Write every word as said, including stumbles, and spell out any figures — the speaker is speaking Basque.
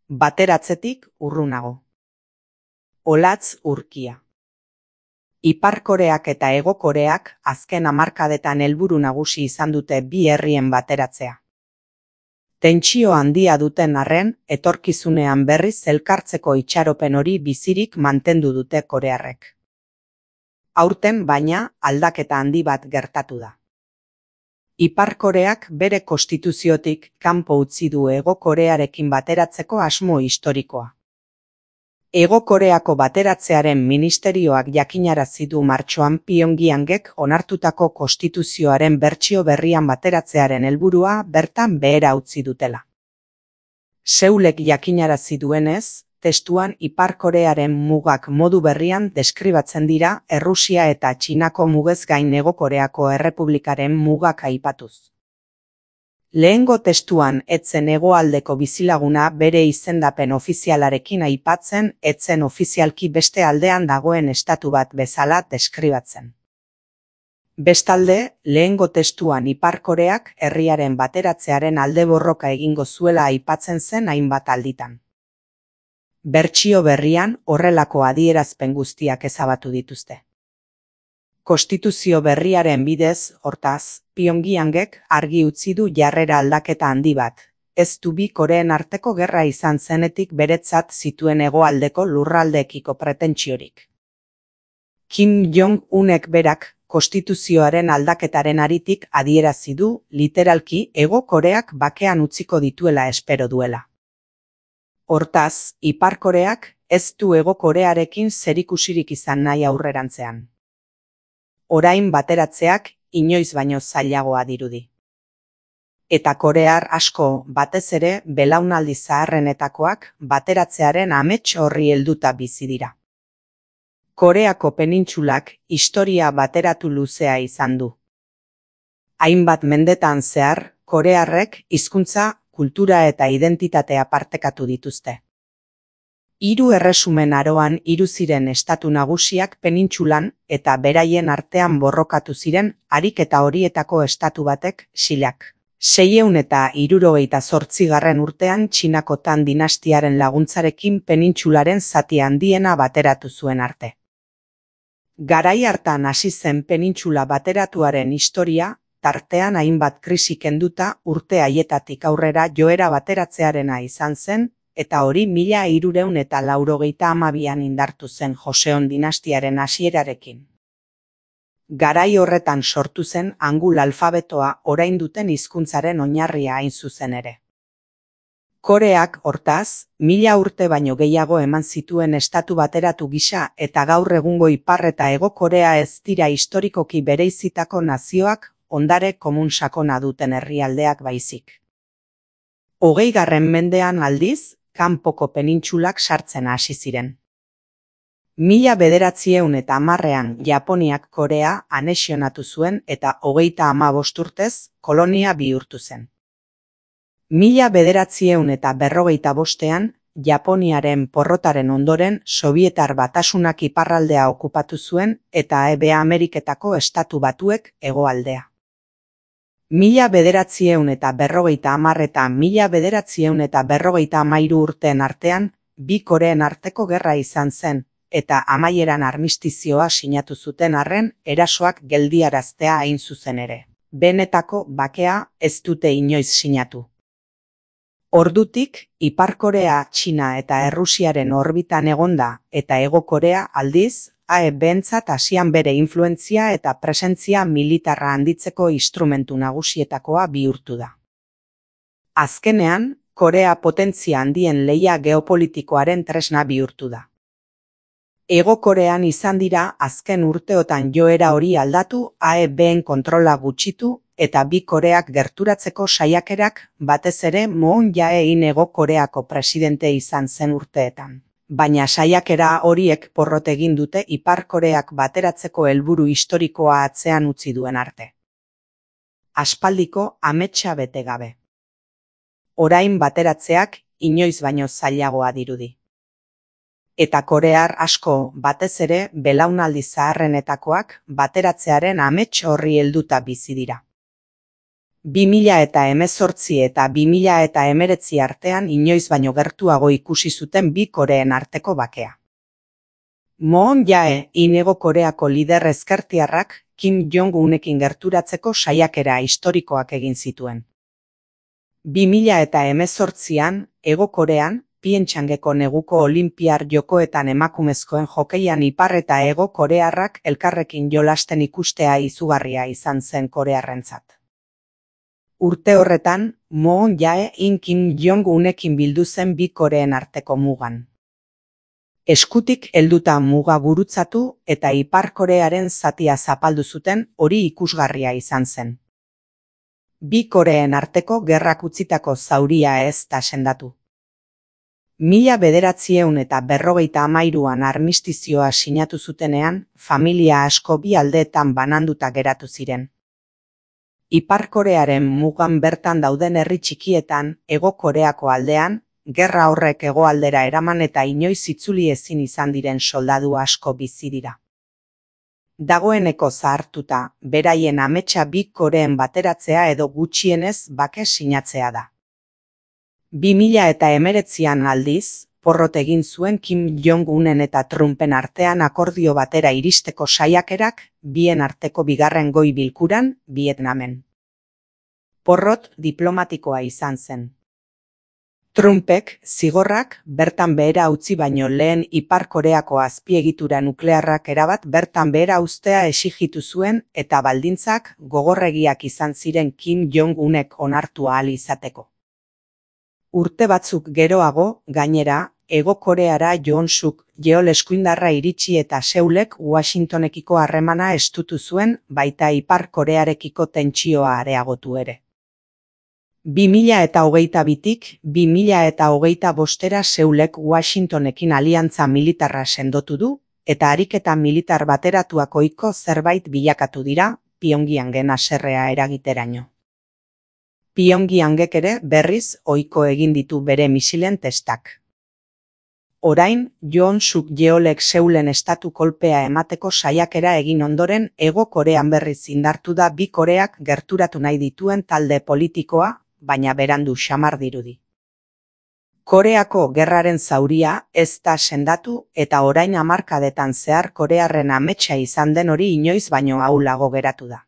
Bateratzetik urrunago. Olatz urkia. Ipar Koreak eta Hego Koreak azken hamarkadetan helburu nagusi izan dute bi herrien bateratzea. Tentsio handia duten arren, etorkizunean berriz elkartzeko itxaropen hori bizirik mantendu dute korearrek. Aurten baina aldaketa handi bat gertatu da. Ipar Koreak bere konstituziotik kanpo utzi du Hego Korearekin bateratzeko asmo historikoa. Hego Koreako bateratzearen ministerioak jakinarazi du martxoan Pyongyangek onartutako konstituzioaren bertsio berrian bateratzearen helburua bertan behera utzi dutela. Seulek jakinarazi duenez, testuan Ipar Korearen mugak modu berrian deskribatzen dira Errusia eta Txinako mugez gain Hego Koreako Errepublikaren mugak aipatuz. Lehengo testuan etzen hegoaldeko bizilaguna bere izendapen ofizialarekin aipatzen, etzen ofizialki beste aldean dagoen estatu bat bezala deskribatzen. Bestalde, lehengo testuan Ipar Koreak herriaren bateratzearen alde borroka egingo zuela aipatzen zen hainbat alditan. Bertsio berrian horrelako adierazpen guztiak ezabatu dituzte. Konstituzio berriaren bidez, hortaz, Pyongyangek argi utzi du jarrera aldaketa handi bat. Ez du bi Koreen arteko gerra izan zenetik beretzat zituen hegoaldeko lurraldeekiko pretentsiorik. Kim Jong-unek berak konstituzioaren aldaketaren haritik adierazi du literalki Hego Koreak bakean utziko dituela espero duela. Hortaz, Ipar Koreak ez du Hego Korearekin zerikusirik izan nahi aurrerantzean. Orain bateratzeak inoiz baino zailagoa dirudi. Eta korear asko, batez ere belaunaldi zaharrenetakoak bateratzearen amets horri helduta bizi dira. Koreako penintsulak historia bateratu luzea izan du. Hainbat mendetan zehar, korearrek hizkuntza, kultura eta identitatea partekatu dituzte. Hiru erresumen aroan hiru ziren estatu nagusiak penintsulan eta beraien artean borrokatu ziren ariketa horietako estatu batek Xilak. Seiehun eta hirurogeita zortzigarren urtean Txinako Tan dinastiaren laguntzarekin penintsularen zati handiena bateratu zuen arte. Garai hartan hasi zen penintsula bateratuaren historia, tartean hainbat krisi kenduta urte haietatik aurrera joera bateratzearena izan zen, eta hori mila hirurehun eta laurogeita hamabian indartu zen Joseon dinastiaren hasierarekin. Garai horretan sortu zen Hangul alfabetoa orain duten hizkuntzaren oinarria hain zuzen ere. Koreak, hortaz, mila urte baino gehiago eman zituen estatu bateratu gisa eta gaur egungo Ipar eta Hego Korea ez dira historikoki bereizitako nazioak ondare komun sakona duten herrialdeak baizik. Hogeigarren mendean aldiz, kanpoko penintsulak sartzen hasi ziren. Mila bederatziehun eta hamarrean Japoniak Korea anexionatu zuen eta hogeita hamabost urtez kolonia bihurtu zen. Mila bederatziehun eta berrogeita bostean Japoniaren porrotaren ondoren Sobietar Batasunak iparraldea okupatu zuen eta Hego Ameriketako estatu batuek hegoaldea. Mila bederatziehun eta berrogeita hamar eta mila bederatziehun eta berrogeita hamairu urteen artean, bi Koreen arteko gerra izan zen, eta amaieran armistizioa sinatu zuten arren erasoak geldiaraztea hain zuzen ere. Benetako bakea ez dute inoiz sinatu. Ordutik, Ipar Korea, Txina eta Errusiaren orbitan egonda eta Hego Korea aldiz, A E bentzat Asian bere influentzia eta presentzia militarra handitzeko instrumentu nagusietakoa bihurtu da. Azkenean, Korea potentzia handien lehia geopolitikoaren tresna bihurtu da. Hego Korean izan dira azken urteotan joera hori aldatu, A E ben kontrola gutxitu eta bi Koreak gerturatzeko saiakerak batez ere Moon Jae-in Hego Koreako presidente izan zen urteetan. Baina saiakera horiek porrot egin dute Ipar Koreak bateratzeko helburu historikoa atzean utzi duen arte. Aspaldiko ametsa bete gabe. Orain bateratzeak inoiz baino zailagoa dirudi. Eta korear asko, batez ere belaunaldi zaharrenetakoak bateratzearen amets horri helduta bizi dira. bi mila hemezortzi eta bi mila hemeretzi artean inoiz baino gertuago ikusi zuten bi Koreen arteko bakea. Moon Jae-in Hego Koreako lider ezkertiarrak Kim Jong-unekin gerturatzeko saiakera historikoak egin zituen. bi mila hemezortzian, Hego Korean, Pyeongchangeko neguko Olinpiar Jokoetan emakumezkoen jokeian Ipar eta Hego Korearrak elkarrekin jolasten ikustea izugarria izan zen korearrentzat. Urte horretan, Moon Jae-in Kim Jong-unekin bildu zen bi Koreen arteko mugan. Eskutik helduta muga gurutzatu eta Ipar Korearen zatia zapaldu zuten, hori ikusgarria izan zen. Bi Koreen arteko gerrak utzitako zauria ez da sendatu. Mila bederatziehun eta berrogeita hamairuan armistizioa sinatu zutenean, familia asko bi aldeetan bananduta geratu ziren. Ipar Korearen mugan bertan dauden herri txikietan, Hego Koreako aldean, gerra horrek hegoaldera eraman eta inoiz itzuli ezin izan diren soldadu asko bizi dira. Dagoeneko zahartuta, beraien ametsa bi Koreen bateratzea edo gutxienez bake sinatzea da. bi mila hemeretzian aldiz, porrot egin zuen Kim Jong-unen eta Trumpen artean akordio batera iristeko saiakerak, bien arteko bigarren goi bilkuran, Vietnamen. Porrot diplomatikoa izan zen. Trumpek, zigorrak, bertan behera utzi baino lehen Ipar Koreako azpiegitura nuklearrak erabat bertan behera uztea exigitu zuen eta baldintzak gogorregiak izan ziren Kim Jong-unek onartu ahal izateko. Urte batzuk geroago, gainera, Hego Koreara joan Suk Yeol eskuindarra iritsi eta Seulek Washingtonekiko harremana estutu zuen, baita Ipar Korearekiko tentsioa areagotu ere. bi mila hogeita bitik bi mila hogeita bostera Seulek Washingtonekin aliantza militarra sendotu du, eta ariketa militar bateratuak ohiko zerbait bilakatu dira, Pyongyangen haserrea eragiteraino. Pyongyangek ere berriz ohiko egin ditu bere misilen testak. Orain, Yoon Suk Yeolek Seulen estatu kolpea emateko saiakera egin ondoren Hego Korean berriz indartu da bi Koreak gerturatu nahi dituen talde politikoa, baina berandu xamar dirudi. Koreako gerraren zauria ez da sendatu eta orain hamarkadetan zehar korearren ametsa izan den hori inoiz baino ahulago geratu da.